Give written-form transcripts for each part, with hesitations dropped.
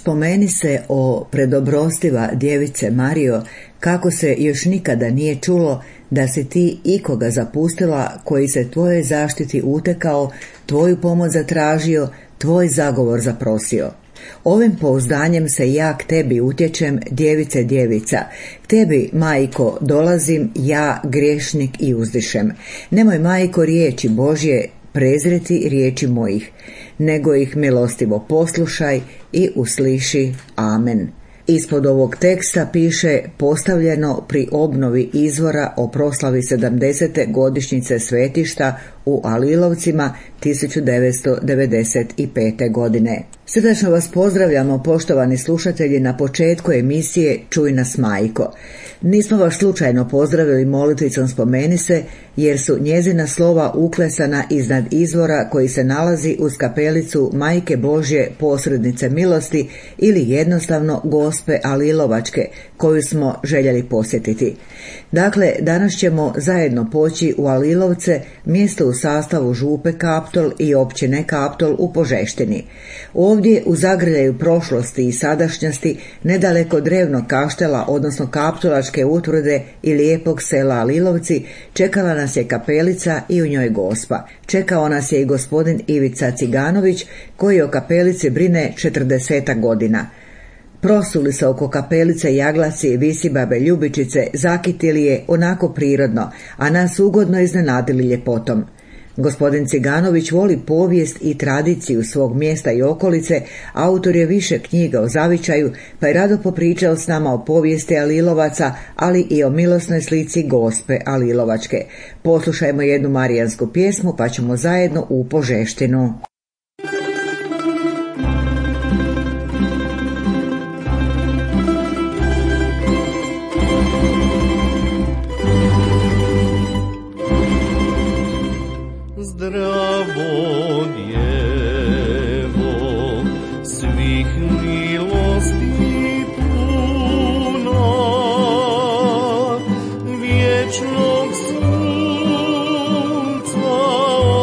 Spomeni se o predobrostiva djevice Marijo, kako se još nikada nije čulo da si ti ikoga zapustila koji se tvojoj zaštiti utekao, tvoju pomoć zatražio, tvoj zagovor zaprosio. Ovim pouzdanjem se ja k tebi utječem, djevice djevica. K tebi, majko, dolazim, ja, griješnik, i uzdišem. Nemoj, majko, riječi Božje prezreti riječi mojih, nego ih milostivo poslušaj i usliši. Amen. Ispod ovog teksta piše postavljeno pri obnovi izvora o proslavi 70. godišnjice svetišta u Alilovcima 1995. godine. Srdačno vas pozdravljamo, poštovani slušatelji, na početku emisije Čuj nas, majko. Nismo vas slučajno pozdravili molitvicom Spomeni se, jer su njezina slova uklesana iznad izvora koji se nalazi uz kapelicu Majke Božje posrednice milosti ili jednostavno Gospe Alilovačke, koju smo željeli posjetiti. Dakle, danas ćemo zajedno poći u Alilovce, mjesto u sastavu župe Kaptol i općine Kaptol u Požeštini. Ovdje u zagrljaju prošlosti i sadašnjosti, nedaleko drevnog kaštela, odnosno kaptolačke utvrde i lijepog sela Alilovci, čekala nas je kapelica i u njoj Gospa. Čekao nas je i gospodin Ivica Ciganović, koji o kapelici brine 40 godina. Prosuli se oko kapelice jaglasi, visibabe, ljubičice, zakitili je onako prirodno, a nas ugodno iznenadili ljepotom. Gospodin Ciganović voli povijest i tradiciju svog mjesta i okolice, autor je više knjiga o zavičaju, pa je rado popričao s nama o povijesti Alilovaca, ali i o milosnoj slici Gospe Alilovačke. Poslušajmo jednu marijansku pjesmu, pa ćemo zajedno u Požeštinu. Zdravo djevo, svih milosti puna, vječnog sunca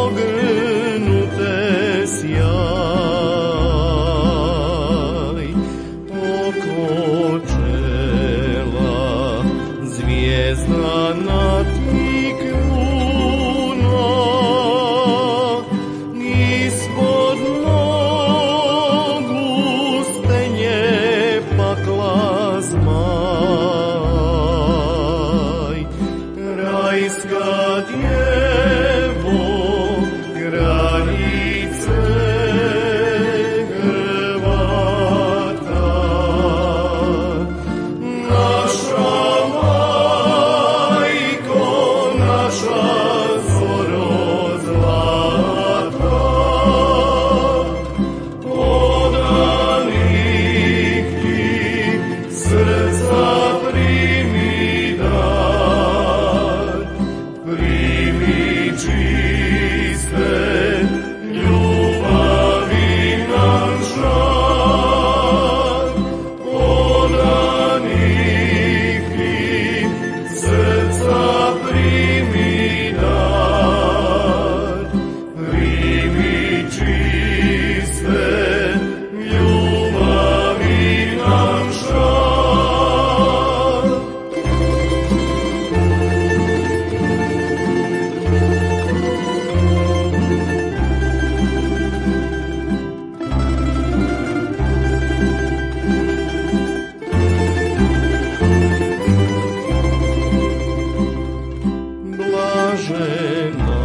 ogrnute sjaj, oko čela zvijezda na ti kruna, ispod nogu stenje pakla zmaj. Rajska djevo, kraljice Hrvata, naša majko, naša zoro zlata, podanih ti srca primi dar, primi čiste ljubavi nam žar, podanih ti srca primi dar, primi čiste ljubavi nam žar. Blažena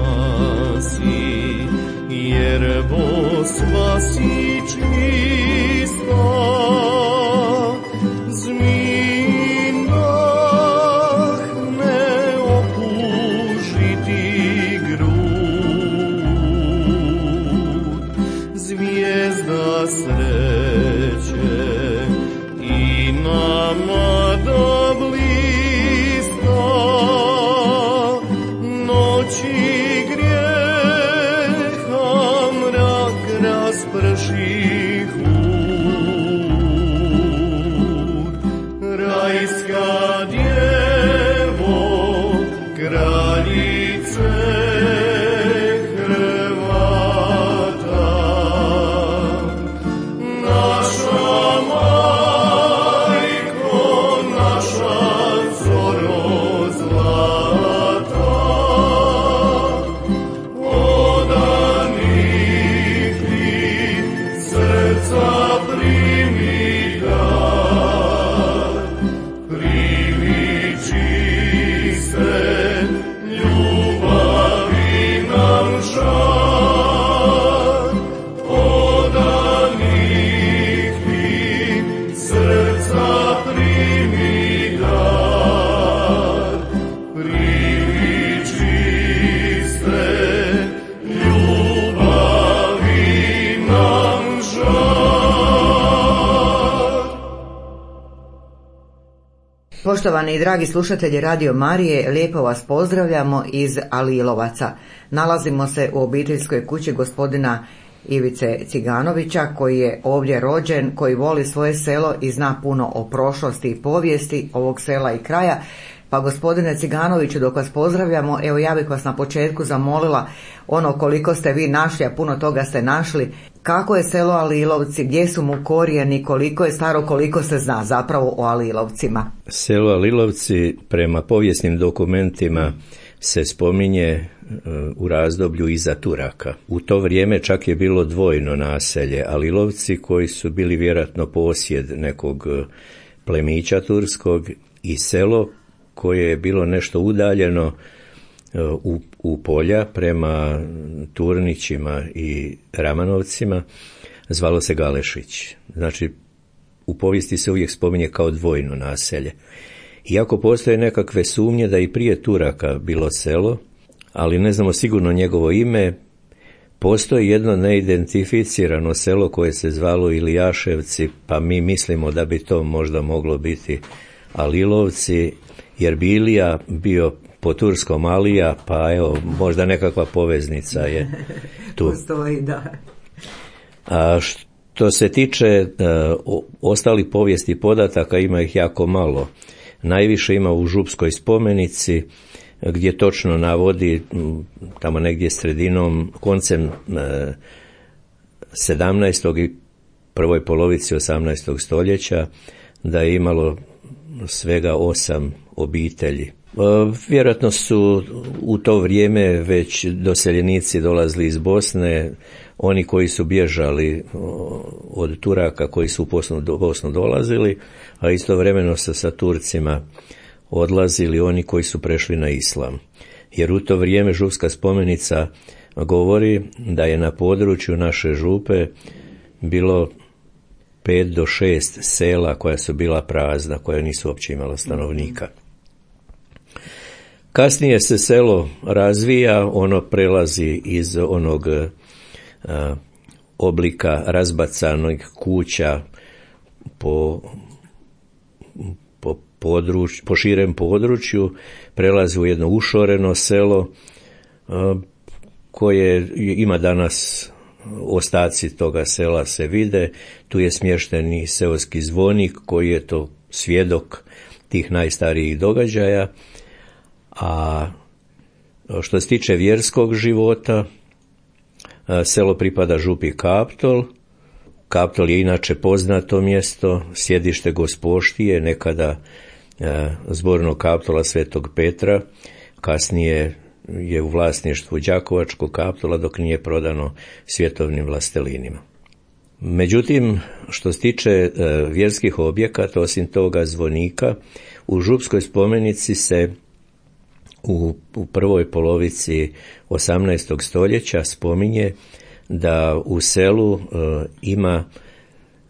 si, jer Bosva si čista, zmijin dah ne opužiti grud, zvijezda sreće i nama da blista, noći grijeha mrak rasprši hud. Rajska djevo, kraljice Hrvata, naša Poštovani i dragi slušatelji Radio Marije, lijepo vas pozdravljamo iz Alilovaca. Nalazimo se u obiteljskoj kući gospodina Ivice Ciganovića, koji je ovdje rođen, koji voli svoje selo i zna puno o prošlosti i povijesti ovog sela i kraja. Pa gospodine Ciganoviću, dok vas pozdravljamo, evo ja bih vas na početku zamolila koliko ste vi našli, a puno toga ste našli. Kako je selo Alilovci, gdje su mu korijeni, koliko je staro, koliko se zna zapravo o Alilovcima? Selo Alilovci prema povijesnim dokumentima se spominje u razdoblju iza Turaka. U to vrijeme čak je bilo dvojno naselje. Alilovci koji su bili vjerojatno posjed nekog plemića turskog i selo koje je bilo nešto udaljeno u polja prema Turnićima i Ramanovcima, zvalo se Galešić. Znači, u povijesti se uvijek spominje kao dvojno naselje. Iako postoje nekakve sumnje da i prije Turaka bilo selo, ali ne znamo sigurno njegovo ime, postoji jedno neidentificirano selo koje se zvalo Ilijaševci, pa mi mislimo da bi to možda moglo biti Alilovci, jer bi Ilija bio po turskom Alija, pa evo, možda nekakva poveznica je tu. Postoji, da. A što se tiče ostalih povijesti podataka, ima ih jako malo. Najviše ima u Župskoj spomenici, gdje točno navodi tamo negdje sredinom, koncem 17. i prvoj polovici 18. stoljeća, da je imalo svega 8 obitelji. Vjerojatno su u to vrijeme već doseljenici dolazili iz Bosne, oni koji su bježali od Turaka, koji su u Bosnu dolazili, a istovremeno sa Turcima odlazili oni koji su prešli na islam. Jer u to vrijeme Župska spomenica govori da je na području naše župe bilo 5 do 6 sela koja su bila prazna, koja nisu uopće imala stanovnika. Kasnije se selo razvija, ono prelazi iz onog oblika razbacanih kuća po širem području, prelazi u jedno ušoreno selo koje ima danas, ostaci toga sela se vide. Tu je smješten i seoski zvonik koji je to svjedok tih najstarijih događaja. A što se tiče vjerskog života, selo pripada župi Kaptol. Kaptol je inače poznato mjesto, sjedište Gospoštije, nekada zbornog Kaptola Svetog Petra, kasnije je u vlasništvu Đakovačkog Kaptola dok nije prodano svjetovnim vlastelinima. Međutim, što se tiče vjerskih objekata, osim toga zvonika, u Župskoj spomenici se u prvoj polovici 18. stoljeća spominje da u selu ima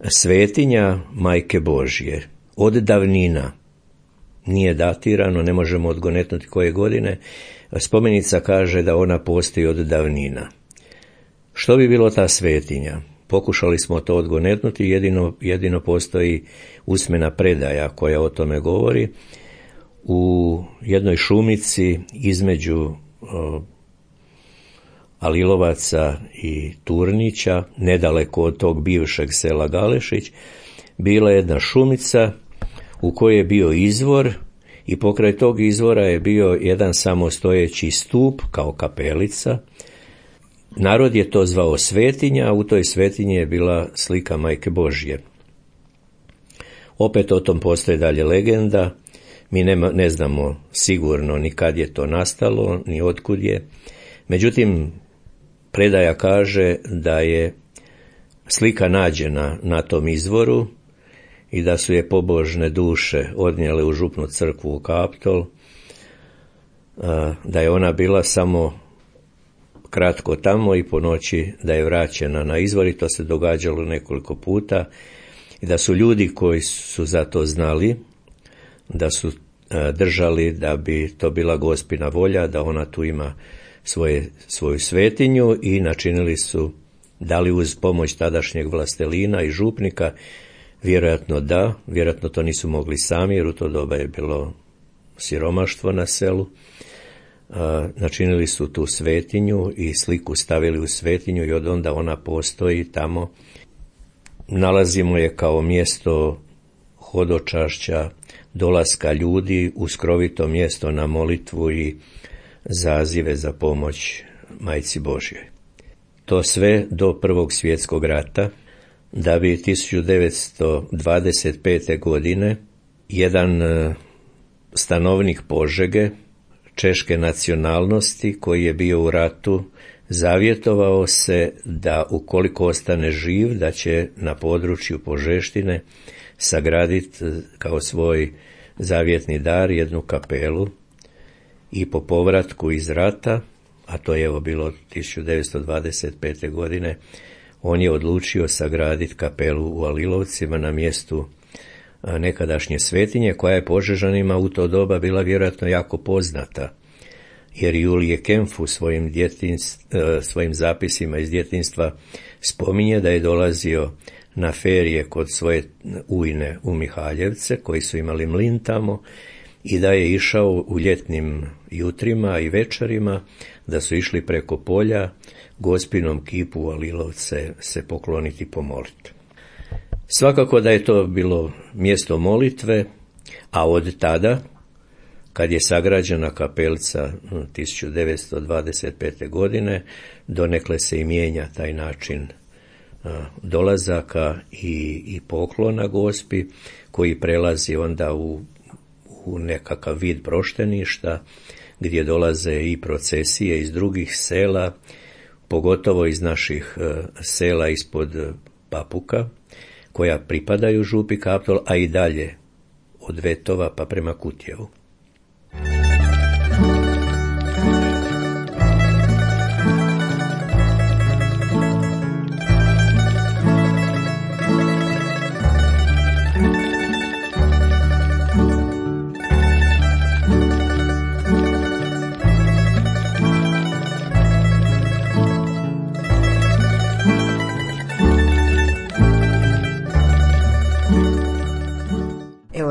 svetinja Majke Božje od davnina. Nije datirano, ne možemo odgonetnuti koje godine. Spomenica kaže da ona postoji od davnina. Što bi bilo ta svetinja? Pokušali smo to odgonetnuti, jedino postoji usmena predaja koja o tome govori. U jednoj šumici između Alilovaca i Turnića, nedaleko od tog bivšeg sela Galešić, bila je jedna šumica u kojoj je bio izvor i pokraj tog izvora je bio jedan samostojeći stup kao kapelica. Narod je to zvao svetinja, a u toj svetinji je bila slika Majke Božje. Opet o tom postoji dalje legenda. Mi ne znamo sigurno ni kad je to nastalo, ni otkud je. Međutim, predaja kaže da je slika nađena na tom izvoru i da su je pobožne duše odnijele u župnu crkvu u Kaptol, da je ona bila samo kratko tamo i po noći da je vraćena na izvor, i to se događalo nekoliko puta, i da su ljudi koji su za to znali, da su držali da bi to bila Gospina volja, da ona tu ima svoju svetinju, i načinili su, dali uz pomoć tadašnjeg vlastelina i župnika, vjerojatno to nisu mogli sami, jer u to doba je bilo siromaštvo na selu. Načinili su tu svetinju i sliku stavili u svetinju i od onda ona postoji tamo. Nalazimo je kao mjesto hodočašća, dolaska ljudi, uskrovito mjesto na molitvu i zazive za pomoć Majci Božjoj. To sve do Prvog svjetskog rata, da bi 1925. godine jedan stanovnik Požege, češke nacionalnosti, koji je bio u ratu, zavjetovao se da ukoliko ostane živ, da će na području Požeštine sagraditi kao svoj zavjetni dar jednu kapelu i po povratku iz rata, a to je evo bilo 1925. godine, on je odlučio sagraditi kapelu u Alilovcima na mjestu nekadašnje svetinje, koja je Požežanima u to doba bila vjerojatno jako poznata, jer Julije Kempf u svojim zapisima iz djetinjstva spominje da je dolazio na ferije kod svoje ujne u Mihaljevce, koji su imali mlin tamo, i da je išao u ljetnim jutrima i večerima, da su išli preko polja Gospinom kipu u Alilovce se pokloniti i pomoliti. Svakako da je to bilo mjesto molitve, a od tada, kad je sagrađena kapelica 1925. godine, donekle se i mijenja taj način dolazaka i poklona Gospi, koji prelazi onda u nekakav vid prošteništa, gdje dolaze i procesije iz drugih sela, pogotovo iz naših sela ispod Papuka, koja pripadaju župi Kaptol, a i dalje od Vetova pa prema Kutjevu.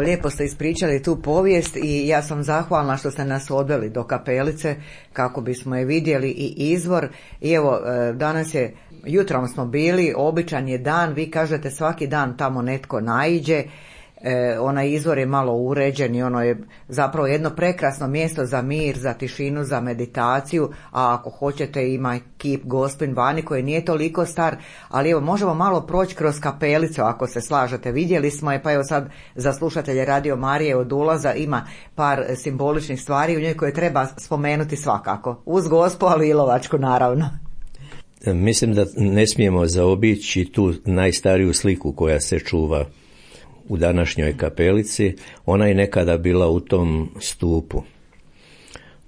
Lijepo ste ispričali tu povijest i ja sam zahvalna što ste nas odveli do kapelice kako bismo je vidjeli i izvor. I evo, danas je, jutrom smo bili, običan je dan, vi kažete svaki dan tamo netko naiđe, onaj izvor je malo uređen i ono je zapravo jedno prekrasno mjesto za mir, za tišinu, za meditaciju, a ako hoćete ima kip Gospin vani koji nije toliko star, ali evo možemo malo proći kroz kapelicu ako se slažete. Vidjeli smo je, pa evo sad za slušatelje Radio Marije od ulaza ima par simboličnih stvari u njoj koje treba spomenuti svakako, uz Gospu, ali i Ilovačku naravno. Mislim da ne smijemo zaobići tu najstariju sliku koja se čuva u današnjoj kapelici. Ona je nekada bila u tom stupu.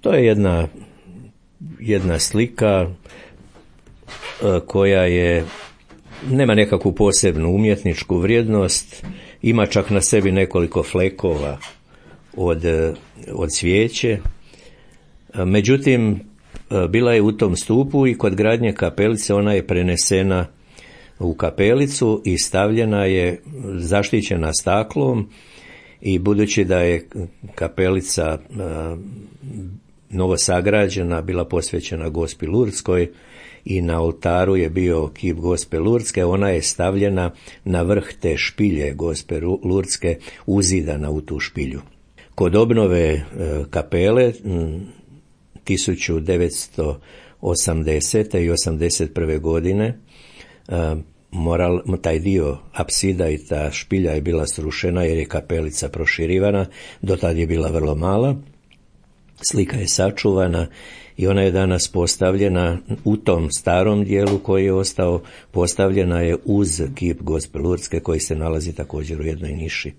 To je jedna slika koja nema nekakvu posebnu umjetničku vrijednost, ima čak na sebi nekoliko flekova od svijeće. Međutim, bila je u tom stupu i kod gradnje kapelice ona je prenesena u kapelicu i stavljena je, zaštićena staklom, i budući da je kapelica novosagrađena, bila posvećena Gospi Lurdskoj i na oltaru je bio kip Gospe Lurdske, ona je stavljena na vrh te špilje Gospe Lurdske, uzidana u tu špilju. Kod obnove kapele 1980. i 1981. godine taj dio apsida i ta špilja je bila srušena jer je kapelica proširivana, do tad je bila vrlo mala. Slika je sačuvana i ona je danas postavljena u tom starom dijelu koji je ostao, postavljena je uz kip Gospe Lurdske koji se nalazi također u jednoj niši.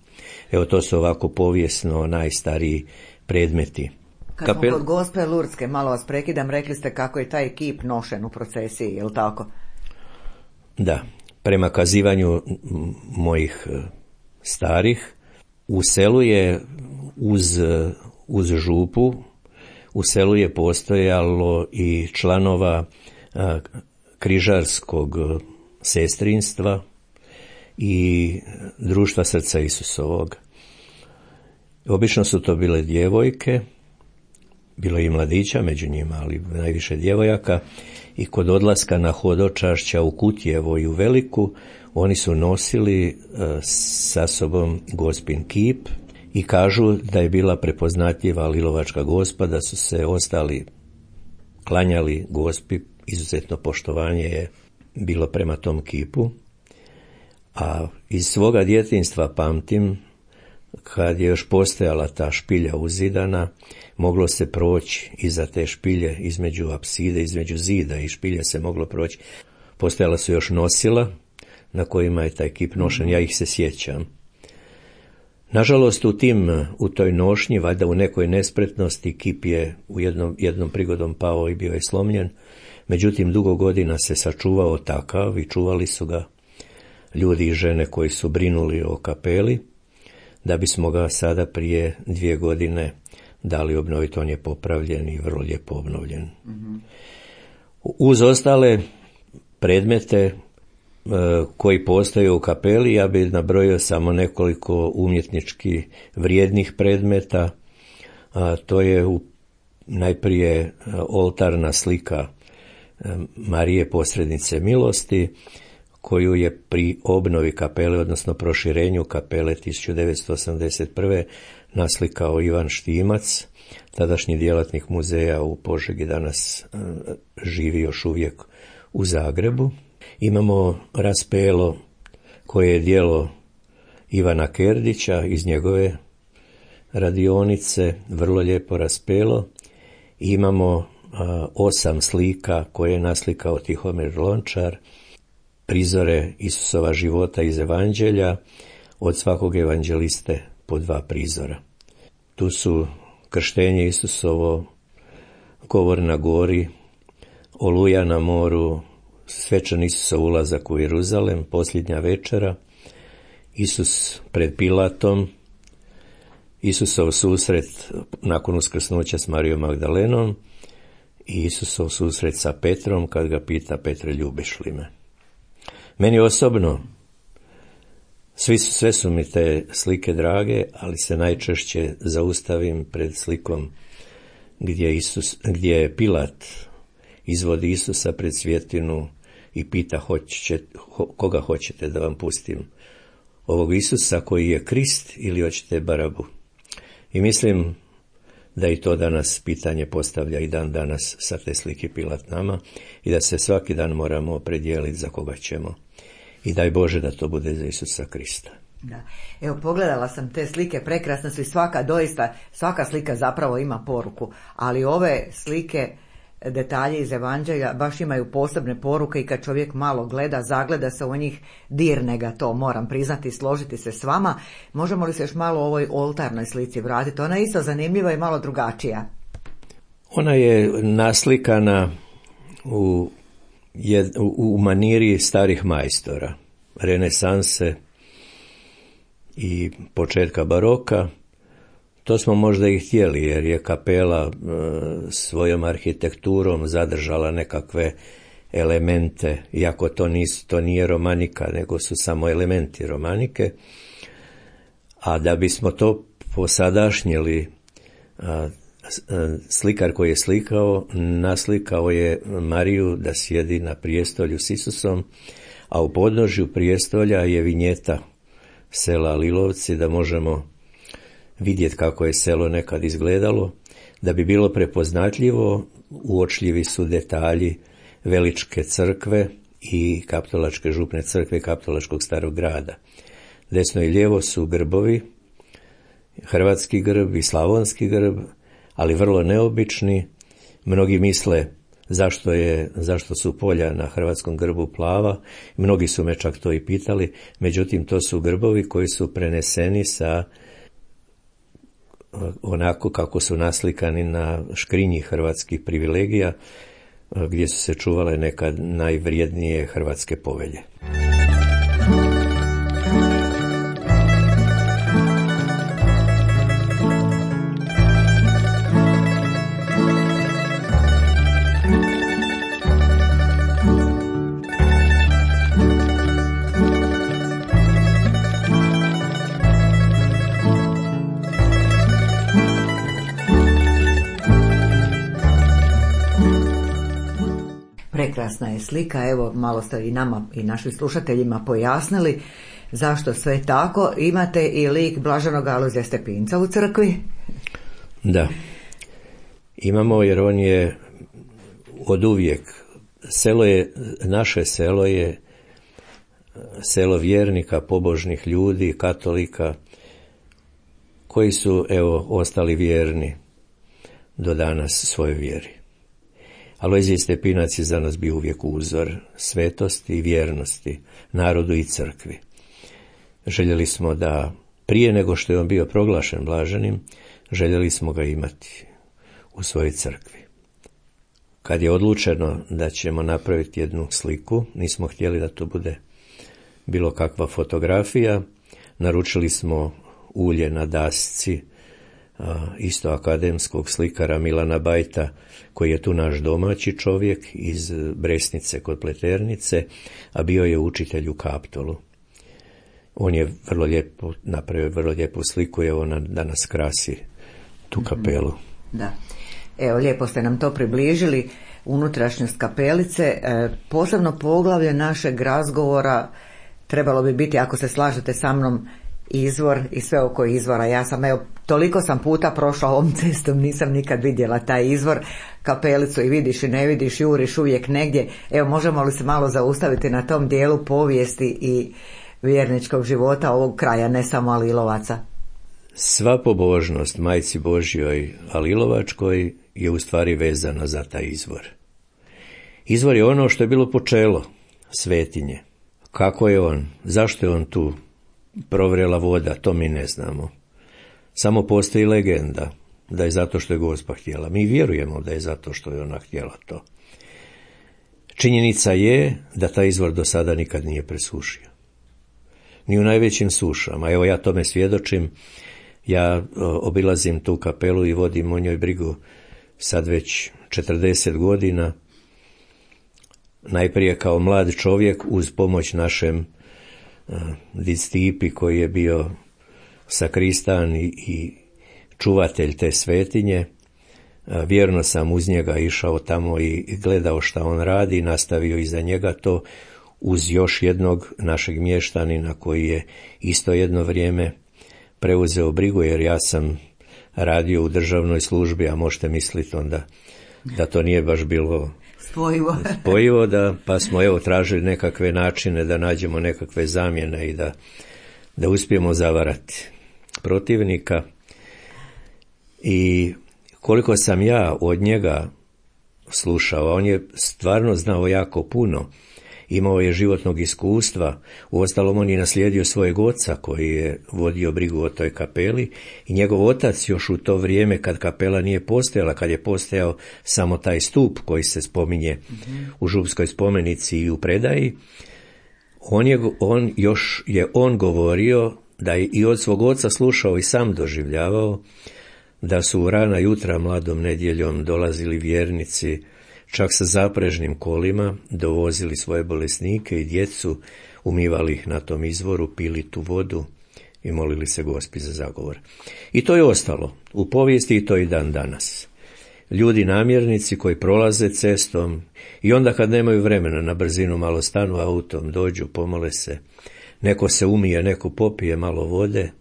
Evo, to su ovako povijesno najstariji predmeti. Kad smo kod Gospe Lurdske, malo vas prekidam, rekli ste kako je taj kip nošen u procesiji, je li tako? Da, prema kazivanju mojih starih, u selu je uz župu, u selu je postojalo i članova križarskog sestrinstva i društva Srca Isusovog. Obično su to bile djevojke, bilo je i mladića među njima, ali najviše djevojaka, i kod odlaska na hodočašća u Kutjevo i u Veliku oni su nosili sa sobom Gospin kip i kažu da je bila prepoznatljiva Lilovačka Gospa, da su se ostali klanjali Gospi, izuzetno poštovanje je bilo prema tom kipu. A iz svoga djetinjstva pamtim, kad je još postojala ta špilja uzidana, moglo se proći iza te špilje, između apside, između zida i špilje se moglo proći. Postojala su još nosila na kojima je taj kip nošen, ja ih se sjećam. Nažalost, u toj nošnji, valjda u nekoj nespretnosti, kip je u jednom prigodom pao i bio je slomljen. Međutim, dugo godina se sačuvao takav i čuvali su ga ljudi i žene koji su brinuli o kapeli, da bismo ga sada prije 2 godine dali obnoviti. On je popravljen i vrlo lijepo obnovljen. Mm-hmm. Uz ostale predmete koji postoje u kapeli, ja bih nabrojio samo nekoliko umjetnički vrijednih predmeta. To je najprije oltarna slika Marije posrednice milosti, koju je pri obnovi kapele, odnosno proširenju kapele 1981. naslikao Ivan Štimac, tadašnji djelatnik muzeja u Požegi, danas živi još uvijek u Zagrebu. Imamo raspelo koje je djelo Ivana Kerdića iz njegove radionice, vrlo lijepo raspelo. Imamo 8 slika koje je naslikao Tihomir Lončar, prizore Isusova života iz Evanđelja, od svakog evanđeliste po 2 prizora. Tu su krštenje Isusovo, govor na gori, Oluja na moru, svečan Isusov ulazak u Jeruzalem, posljednja večera, Isus pred Pilatom, Isusov susret nakon uskrsnuća s Marijom Magdalenom i Isusov susret sa Petrom kad ga pita: Petre, ljubiš li me? Meni osobno sve su mi te slike drage, ali se najčešće zaustavim pred slikom gdje Pilat izvodi Isusa pred svjetinu i pita: koga hoćete da vam pustim? Ovog Isusa koji je Krist ili hoćete Barabu? I mislim da i to danas pitanje postavlja i dan danas sa te slike Pilat nama i da se svaki dan moramo opredijeliti za koga ćemo. I daj Bože da to bude za Isusa Krista. Da. Evo, pogledala sam te slike, prekrasne su i svaka slika zapravo ima poruku, ali ove slike, detalje iz Evanđelja baš imaju posebne poruke i kad čovjek malo gleda, zagleda se u njih, dirne ga to, moram priznati i složiti se s vama. Možemo li se još malo o ovoj oltarnoj slici vratiti? Ona je isto zanimljiva i malo drugačija. Ona je naslikana u maniri starih majstora, renesanse i početka baroka. To smo možda i htjeli, jer je kapela svojom arhitekturom zadržala nekakve elemente, iako to nije romanika, nego su samo elementi romanike. A da bismo to posadašnjili, slikar koji je naslikao je Mariju da sjedi na prijestolju s Isusom, a u podnožju prijestolja je vinjeta sela Lilovci, da možemo vidjeti kako je selo nekad izgledalo. Da bi bilo prepoznatljivo, uočljivi su detalji Veličke crkve i Kaptolačke župne crkve i Kaptolačkog starog grada. Desno i lijevo su grbovi, hrvatski grb i slavonski grb, ali vrlo neobični. Mnogi misle zašto su polja na hrvatskom grbu plava. Mnogi su me čak to i pitali. Međutim, to su grbovi koji su preneseni sa onako kako su naslikani na škrinji hrvatskih privilegija, gdje su se čuvale nekad najvrijednije hrvatske povelje. Prekrasna je slika, evo malo ste i nama i našim slušateljima pojasnili zašto sve tako. Imate i lik Blaženog Alojzija Stepinca u crkvi? Da, imamo, jer on je od uvijek, naše selo je selo vjernika, pobožnih ljudi, katolika, koji su, ostali vjerni do danas svojoj vjeri. Alojzij Stepinac je za nas bio uvijek uzor svetosti i vjernosti narodu i crkvi. Željeli smo da, prije nego što je on bio proglašen blaženim, željeli smo ga imati u svojoj crkvi. Kad je odlučeno da ćemo napraviti jednu sliku, nismo htjeli da to bude bilo kakva fotografija, naručili smo ulje na dasci isto akademskog slikara Milana Bajta, koji je tu naš domaći čovjek iz Bresnice kod Pleternice, a bio je učitelj u Kaptolu. On je vrlo lijepo napravio, vrlo lijepu sliku, evo da nas krasi tu kapelu. Da. Evo, lijepo ste nam to približili, unutrašnjost kapelice. Posebno poglavlje našeg razgovora trebalo bi biti, ako se slažete sa mnom, izvor i sve oko izvora. Ja sam, toliko sam puta prošla ovom cestom, nisam nikad vidjela taj izvor, kapelicu, i vidiš i ne vidiš, juriš uvijek negdje. Evo, možemo li se malo zaustaviti na tom dijelu povijesti i vjerničkog života ovog kraja, ne samo Alilovaca? Sva pobožnost Majci Božjoj Alilovačkoj je u stvari vezana za taj izvor. Izvor je ono što je bilo počelo svetinje. Kako je on, zašto je on tu provrela voda, to mi ne znamo. Samo postoji legenda da je zato što je Gospa htjela. Mi vjerujemo da je zato što je ona htjela to. Činjenica je da taj izvor do sada nikad nije presušio. Ni u najvećim sušama. Evo, ja tome svjedočim. Ja obilazim tu kapelu i vodim o njoj brigu sad već 40 godina. Najprije kao mlad čovjek uz pomoć našem Stipi, koji je bio sakristan i čuvatelj te svetinje. Vjerno sam uz njega išao tamo i gledao šta on radi i nastavio iza njega to, uz još jednog našeg mještanina koji je isto jedno vrijeme preuzeo brigu, jer ja sam radio u državnoj službi, a možete misliti onda da to nije baš bilo spojivo, pa smo tražili nekakve načine da nađemo nekakve zamjene i da uspijemo zavarati protivnika. I koliko sam ja od njega slušao, on je stvarno znao jako puno, imao je životnog iskustva, uostalom on je naslijedio svojeg oca koji je vodio brigu o toj kapeli, i njegov otac još u to vrijeme kad kapela nije postojala, kad je postojao samo taj stup koji se spominje u župskoj spomenici i u predaji, on govorio da je i od svog oca slušao i sam doživljavao da su u rana jutra mladom nedjeljom dolazili vjernici, čak sa zaprežnim kolima, dovozili svoje bolesnike i djecu, umivali ih na tom izvoru, pili tu vodu i molili se Gospi za zagovor. I to je ostalo u povijesti i to i dan danas. Ljudi namjernici koji prolaze cestom i onda kad nemaju vremena, na brzinu malo stanu autom, dođu, pomole se, neko se umije, neko popije malo vode,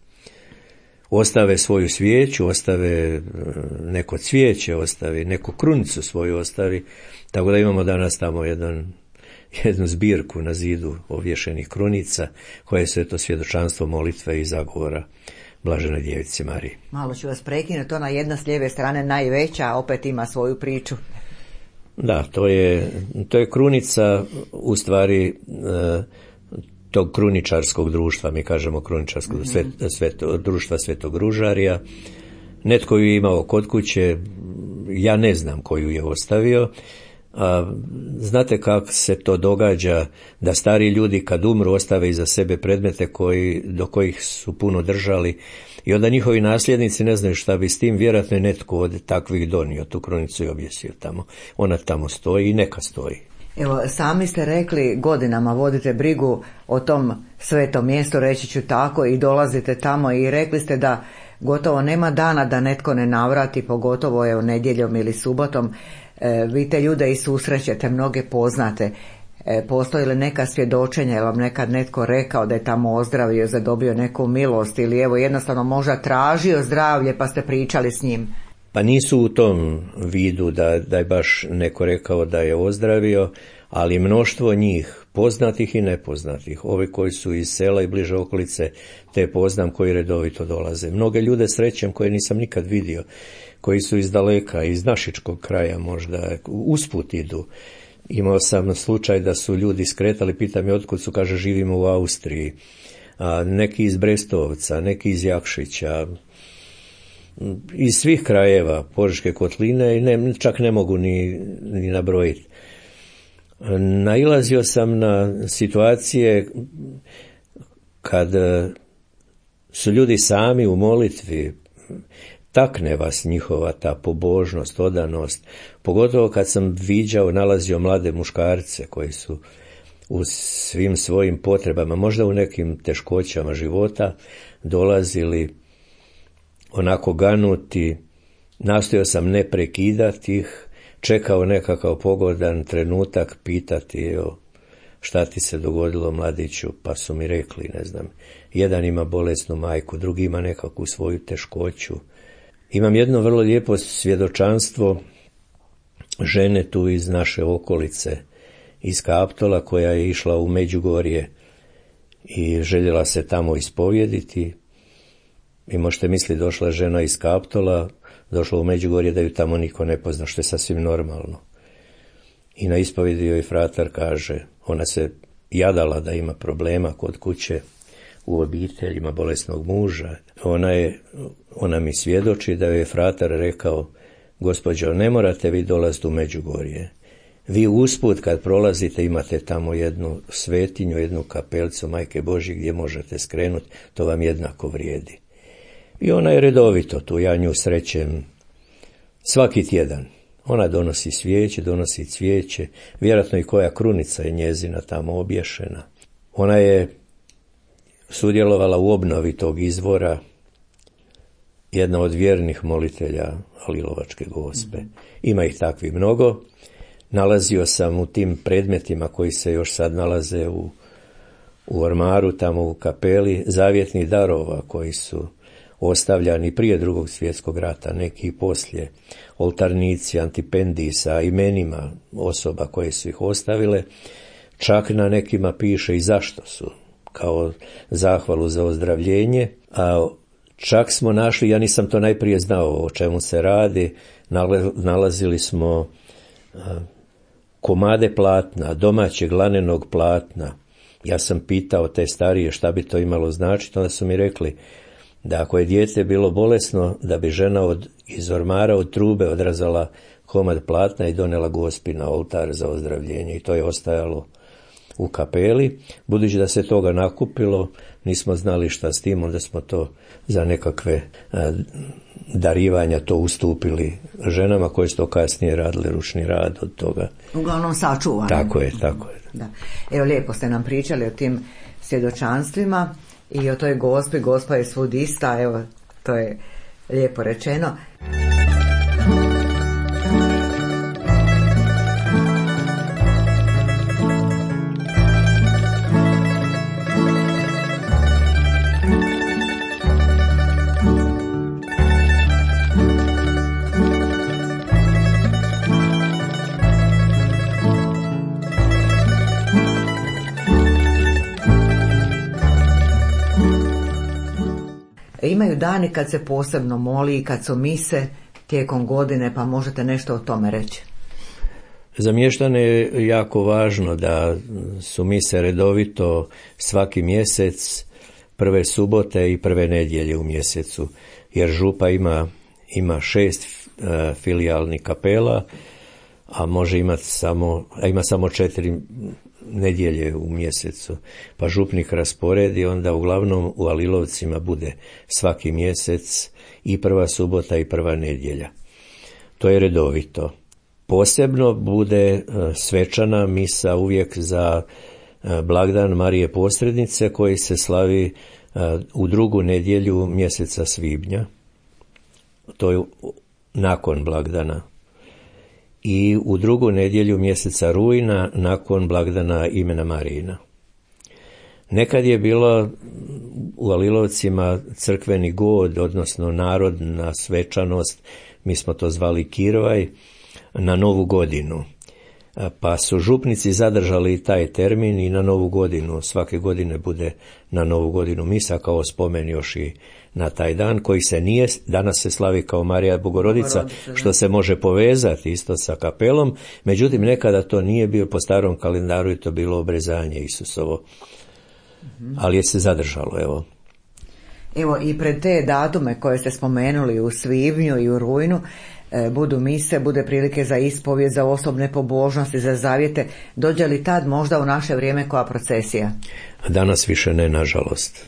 ostave svoju svijeću, ostave neko cvijeće, ostavi neku krunicu svoju, ostavi. Tako da imamo danas tamo jednu zbirku na zidu ovješenih krunica, koje su to svjedočanstvo molitve i zagovora Blaženoj Djevici Mariji. Malo ću vas prekinuti, ona jedna s lijeve strane najveća, a opet ima svoju priču. Da, to je krunica u stvari tog kruničarskog društva, mi kažemo kruničarskog društva Svetog Ružarija. Netko ju je imao kod kuće, ja ne znam koju je ostavio. Znate kako se to događa, da stari ljudi kad umru ostave iza sebe predmete do kojih su puno držali, i onda njihovi nasljednici ne znaju šta bi s tim, vjerojatno je netko od takvih donio tu krunicu i objesio tamo. Ona tamo stoji i neka stoji. Evo, sami ste rekli, godinama vodite brigu o tom svetom mjestu, reći ću tako, i dolazite tamo, i rekli ste da gotovo nema dana da netko ne navrati, pogotovo nedjeljom ili subotom. Vi te ljude i susrećete, mnoge poznate. Postoji li neka svjedočenja, je li vam nekad netko rekao da je tamo ozdravio, zadobio neku milost ili evo jednostavno možda tražio zdravlje pa ste pričali s njim? Pa nisu u tom vidu da je baš neko rekao da je ozdravio, ali mnoštvo njih, poznatih i nepoznatih, ovi koji su iz sela i bliže okolice, te poznam koji redovito dolaze. Mnoge ljude srećem koje nisam nikad vidio, koji su iz daleka, iz našičkog kraja možda, usput idu. Imao sam slučaj da su ljudi skretali, pitam je otkud su, kaže živimo u Austriji, neki iz Brestovca, neki iz Jakšića, iz svih krajeva Požeške kotline i čak ne mogu ni nabrojiti. Nailazio sam na situacije kad su ljudi sami u molitvi, takne vas njihova ta pobožnost, odanost, pogotovo kad sam nalazio mlade muškarce koji su u svim svojim potrebama, možda u nekim teškoćama života, dolazili onako ganuti, nastojao sam ne prekidati ih, čekao nekakav pogodan trenutak, pitati šta ti se dogodilo mladiću, pa su mi rekli, ne znam, jedan ima bolesnu majku, drugi ima nekakvu svoju teškoću. Imam jedno vrlo lijepo svjedočanstvo žene tu iz naše okolice, iz Kaptola, koja je išla u Međugorje i željela se tamo ispovjediti. I možete misliti, došla žena iz Kaptola, došla u Međugorje da ju tamo niko ne pozna, što je sasvim normalno. I na ispovjedi joj fratar kaže, ona se jadala da ima problema kod kuće, u obitelji, ima bolesnog muža. Ona mi svjedoči da joj je fratar rekao, gospođo, ne morate vi dolaziti u Međugorje. Vi usput kad prolazite imate tamo jednu svetinju, jednu kapelcu Majke Božje gdje možete skrenuti, to vam jednako vrijedi. I ona je redovito tu, ja nju srećem svaki tjedan. Ona donosi svijeće, donosi cvijeće, vjerojatno i koja krunica je njezina tamo obješena. Ona je sudjelovala u obnovi tog izvora, jedna od vjernih molitelja Alilovačke Gospe. Ima ih takvi mnogo. Nalazio sam u tim predmetima koji se još sad nalaze u ormaru, tamo u kapeli, zavjetnih darova koji su ostavljani prije Drugog svjetskog rata, neki i poslije, oltarnici, antipendiji sa imenima osoba koje su ih ostavile, čak na nekima piše i zašto su, kao zahvalu za ozdravljenje, a čak smo našli, ja nisam to najprije znao o čemu se radi, nalazili smo komade platna, domaćeg lanenog platna. Ja sam pitao te starije šta bi to imalo značiti, onda su mi rekli da ako je dijete bilo bolesno, da bi žena iz ormara od trube odrazala komad platna i donela Gospi na oltar za ozdravljenje, i to je ostajalo u kapeli. Budući da se toga nakupilo, nismo znali šta s tim, onda smo to za nekakve darivanja to ustupili ženama koje su to kasnije radile ručni rad od toga. Uglavnom sačuvano. Tako je. Da. Evo, lijepo ste nam pričali o tim svjedočanstvima i o toj Gospi. Gospa je svud ista, evo, to je lijepo rečeno. Imaju dani kad se posebno moli i kad su mise tijekom godine, pa možete nešto o tome reći? Za mještane je jako važno da su mise redovito svaki mjesec, prve subote i prve nedjelje u mjesecu, jer župa ima 6 filijalnih kapela, a ima samo 4 nedjelje u mjesecu, pa župnik rasporedi, onda uglavnom u Alilovcima bude svaki mjesec i prva subota i prva nedjelja. To je redovito. Posebno bude svečana misa uvijek za blagdan Marije Posrednice, koji se slavi u drugu nedjelju mjeseca svibnja. To je nakon blagdana. i u drugu nedjelju mjeseca rujna nakon blagdana imena Marijina. Nekad je bilo u Alilovcima crkveni god, odnosno narodna svečanost, mi smo to zvali kirvaj, na Novu godinu. Pa su župnici zadržali taj termin i na Novu godinu. Svake godine bude na Novu godinu misa kao spomen još i na taj dan koji se nije, danas se slavi kao Marija Bogorodica, što se može povezati isto sa kapelom, međutim nekada to nije bio po starom kalendaru i to bilo obrezanje Isusovo. Ali je se zadržalo, evo. Evo i pred te datume koje ste spomenuli u svibnju i u rujnu, budu mise, bude prilike za ispovijed, za osobne pobožnosti, za zavjete. Dođe li tad možda u naše vrijeme koja procesija? Danas više ne, nažalost.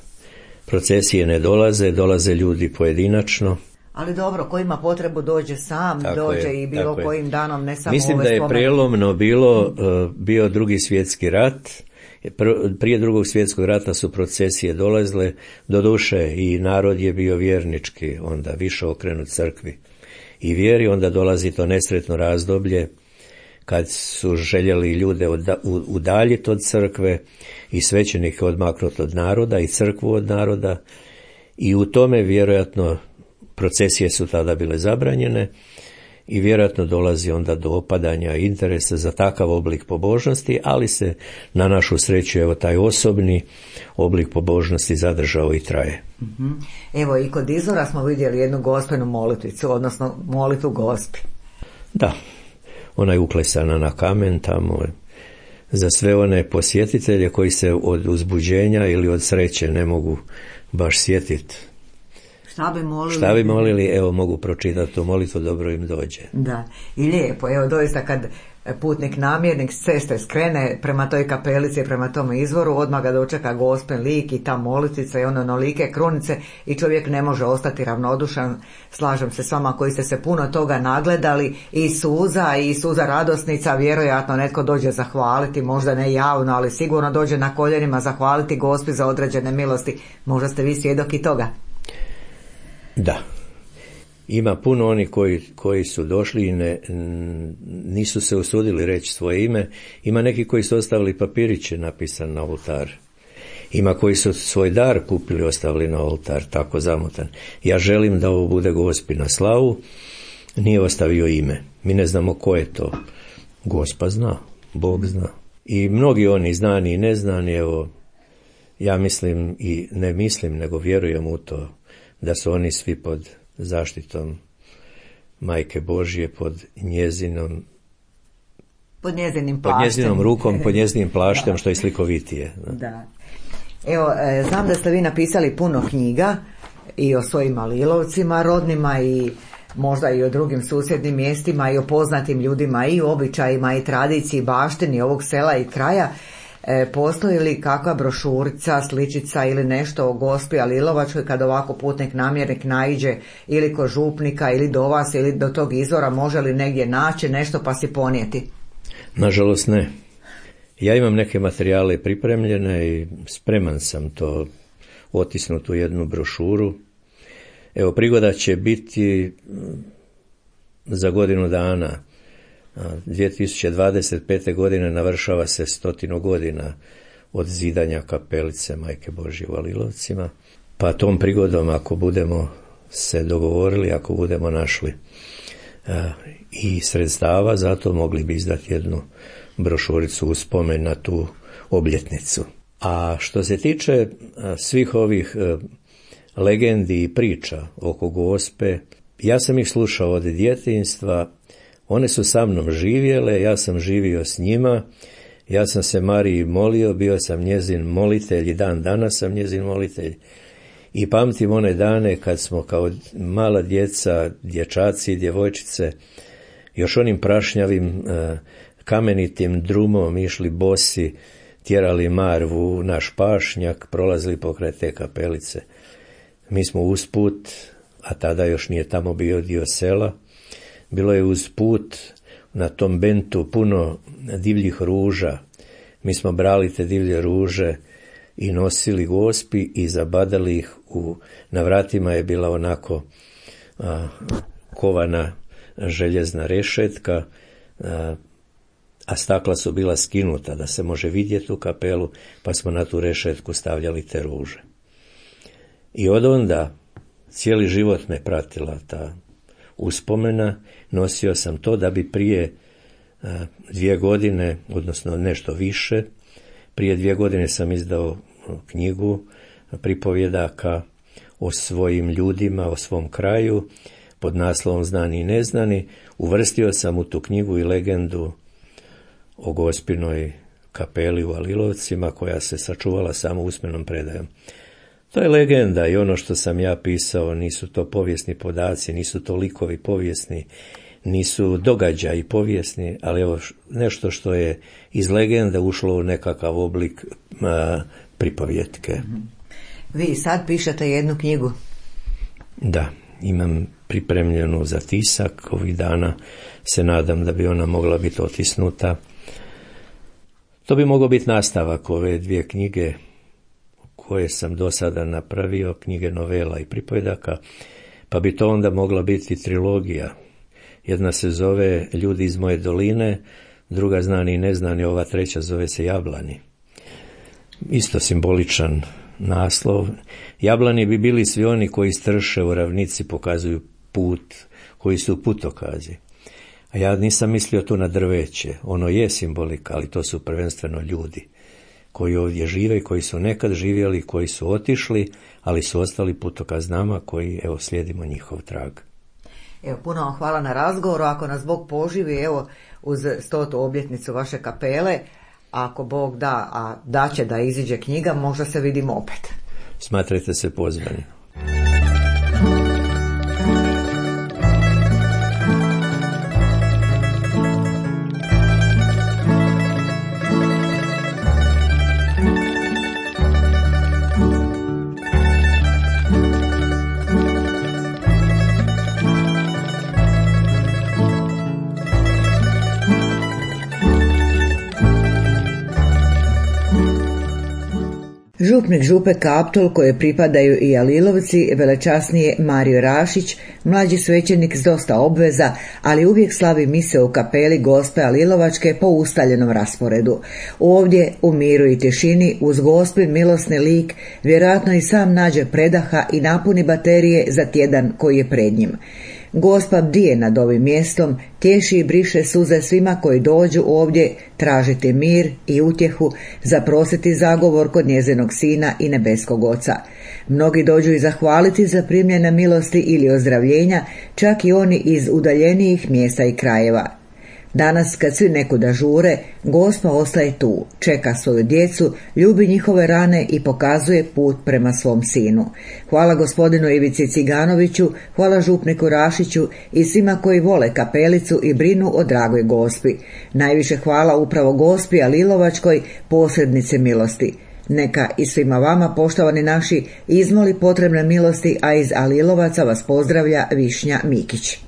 Procesije ne dolaze ljudi pojedinačno. Ali dobro, ko ima potrebu dođe sam, tako dođe je, i bilo kojim danom, ne samo Mislim ove da je spomene. prijelomno bio Drugi svjetski rat. Prije Drugog svjetskog rata su procesije dolazile, doduše i narod je bio vjernički, onda više okrenut crkvi i vjeri, onda dolazi to nesretno razdoblje kad su željeli ljude udaljiti od crkve i svećenike odmaknuti od naroda i crkvu od naroda, i u tome vjerojatno procesije su tada bile zabranjene i vjerojatno dolazi onda do opadanja interesa za takav oblik pobožnosti, ali se na našu sreću evo taj osobni oblik pobožnosti zadržao i traje. Evo i kod izvora smo vidjeli jednu gospenu molitvicu, odnosno molitvu Gospi. Da, ona je uklesana na kamen tamo za sve one posjetitelje koji se od uzbuđenja ili od sreće ne mogu baš sjetiti. Šta bi molili, evo mogu pročitati tu molitvu, dobro im dođe. Da, i lijepo, evo doista kad putnik namjernik s ceste skrene prema toj kapelici, prema tom izvoru, odmah ga dočeka Gospin lik i ta molitvica i onolike krunice i čovjek ne može ostati ravnodušan. Slažem se s vama koji ste se puno toga nagledali, i suza radosnica, vjerojatno netko dođe zahvaliti, možda ne javno, ali sigurno dođe na koljenima zahvaliti Gospi za određene milosti. Možda ste vi svjedok i toga. Da, ima puno onih koji su došli i nisu se usudili reći svoje ime. Ima neki koji su ostavili papiriće napisan na oltar. Ima koji su svoj dar kupili, ostavili na oltar, tako zamotan. Ja želim da ovo bude Gospi na slavu, nije ostavio ime. Mi ne znamo ko je to. Gospa zna, Bog zna. I mnogi oni znani i neznani, evo, ja mislim i ne mislim, nego vjerujem u to, da su oni svi pod zaštitom Majke Božje, pod njezinom rukom, pod njezinim plaštem, što je slikovitije. Da. Evo, znam da ste vi napisali puno knjiga i o svojim Alilovcima rodnima i možda i o drugim susjednim mjestima i o poznatim ljudima i o običajima i tradiciji, baštini ovog sela i kraja. Postoji li kakva brošurica, sličica ili nešto o Gospi Alilovačkoj kad ovako putnik namjernik naiđe ili kod župnika ili do vas ili do tog izvora, može li negdje naći nešto pa si ponijeti? Nažalost ne. Ja imam neke materijale pripremljene i spreman sam to otisnuti u jednu brošuru. Evo, prigoda će biti za godinu dana. 2025. godine navršava se 100 godina od zidanja kapelice Majke Božje u Alilovcima. Pa tom prigodom, ako budemo se dogovorili, ako budemo našli i sredstava, zato mogli bi izdati jednu brošuricu u spomen na tu obljetnicu. A što se tiče svih ovih legendi i priča oko Gospe, ja sam ih slušao od djetinjstva. One su sa mnom živjele, ja sam živio s njima, ja sam se Mariji molio, bio sam njezin molitelj i dan danas sam njezin molitelj. I pamtim one dane kad smo kao mala djeca, dječaci i djevojčice, još onim prašnjavim kamenitim drumom išli bosi, tjerali marvu u naš pašnjak, prolazili pokraj te kapelice. Mi smo usput, a tada još nije tamo bio dio sela, bilo je usput na tom bentu puno divljih ruža. Mi smo brali te divlje ruže i nosili Gospi i zabadali ih na vratima je bila onako kovana željezna rešetka a stakla su bila skinuta da se može vidjeti u kapelu, pa smo na tu rešetku stavljali te ruže. I od onda cijeli život me pratila ta uspomena, nosio sam to da bi prije 2 godine, odnosno nešto više, prije 2 godine sam izdao knjigu pripovjedaka o svojim ljudima, o svom kraju, pod naslovom Znani i neznani. Uvrstio sam u tu knjigu i legendu o Gospinoj kapeli u Alilovcima, koja se sačuvala samo usmenom predajom. To je legenda i ono što sam ja pisao, nisu to povijesni podaci, nisu to likovi povijesni, nisu događaji povijesni, ali evo nešto što je iz legende ušlo u nekakav oblik pripovjetke. Vi sad pišete jednu knjigu? Da, imam pripremljenu za tisak, ovih dana se nadam da bi ona mogla biti otisnuta. To bi mogao biti nastavak ove 2 knjige koje sam do sada napravio, knjige novela i pripovjedaka, pa bi to onda mogla biti trilogija. Jedna se zove Ljudi iz moje doline, druga Znani i neznani, ova treća zove se Jablani. Isto simboličan naslov. Jablani bi bili svi oni koji strše u ravnici, pokazuju put, koji su putokazi. A ja nisam mislio tu na drveće, ono je simbolika, ali to su prvenstveno ljudi koji ovdje žive i koji su nekad živjeli, koji su otišli, ali su ostali putokaz nama koji, evo, slijedimo njihov trag. Evo, puno vam hvala na razgovoru. Ako nas Bog poživi, evo, uz 100. obljetnicu vaše kapele, ako Bog da, a da će da iziđe knjiga, možda se vidimo opet. Smatrajte se pozvani. Župnik Župe Kaptol, koje pripadaju i Alilovci, velečasnije Mario Rašić, mlađi svećenik s dosta obveza, ali uvijek slavi mise u kapeli Gospe Alilovačke po ustaljenom rasporedu. Ovdje, u miru i tišini, uz Gospin milosni lik, vjerojatno i sam nađe predaha i napuni baterije za tjedan koji je pred njim. Gospa bdije nad ovim mjestom, tješi i briše suze svima koji dođu ovdje tražiti mir i utjehu, zaprositi zagovor kod njezinog Sina i nebeskog Oca. Mnogi dođu i zahvaliti za primljene milosti ili ozdravljenja, čak i oni iz udaljenijih mjesta i krajeva. Danas, kad svi nekuda žure, Gospa ostaje tu, čeka svoju djecu, ljubi njihove rane i pokazuje put prema svom Sinu. Hvala gospodinu Ivici Ciganoviću, hvala župniku Rašiću i svima koji vole kapelicu i brinu o dragoj Gospi. Najviše hvala upravo Gospi Alilovačkoj, posrednice milosti. Neka i svima vama, poštovani naši, izmoli potrebne milosti, a iz Alilovaca vas pozdravlja Višnja Mikić.